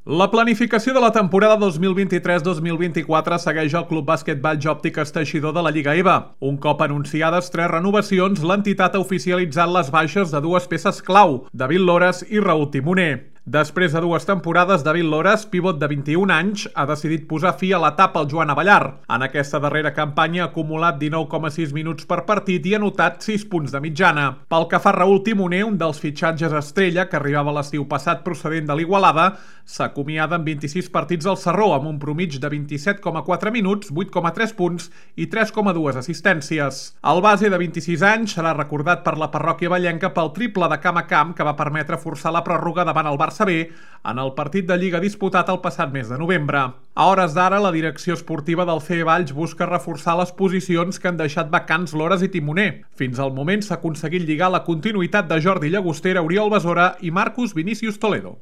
La planificació de la temporada 2023-2024 segueix el Club Bàsquet Valls Òptiques Teixidor de la Lliga EVA. Un cop anunciades 3 renovacions, l'entitat ha oficialitzat les baixes de 2 peces clau, David Lores i Raül Timoner. Després de 2 temporades, David Lores, pivot de 21 anys, ha decidit posar fi a l'etapa al Joan Abellar. En aquesta darrera campanya ha acumulat 19,6 minuts per partit i ha anotat 6 punts de mitjana. Pel que fa a Raül Timoner, un dels fitxatges estrella que arribava l'estiu passat procedent de l'Igualada, s'acomiada en 26 partits al Sarró, amb un promig de 27,4 minuts, 8,3 punts i 3,2 assistències. El base de 26 anys serà recordat per la parròquia vallenca pel triple de camp a camp que va permetre forçar la pròrroga davant el Barça B en el partit de Lliga disputat el passat mes de novembre. A hores d'ara, la direcció esportiva del CE Valls busca reforçar les posicions que han deixat vacants Lores i Timoner. Fins al moment s'ha aconseguit lligar la continuïtat de Jordi Llagostera, Oriol Besora i Marcus Vinícius Toledo.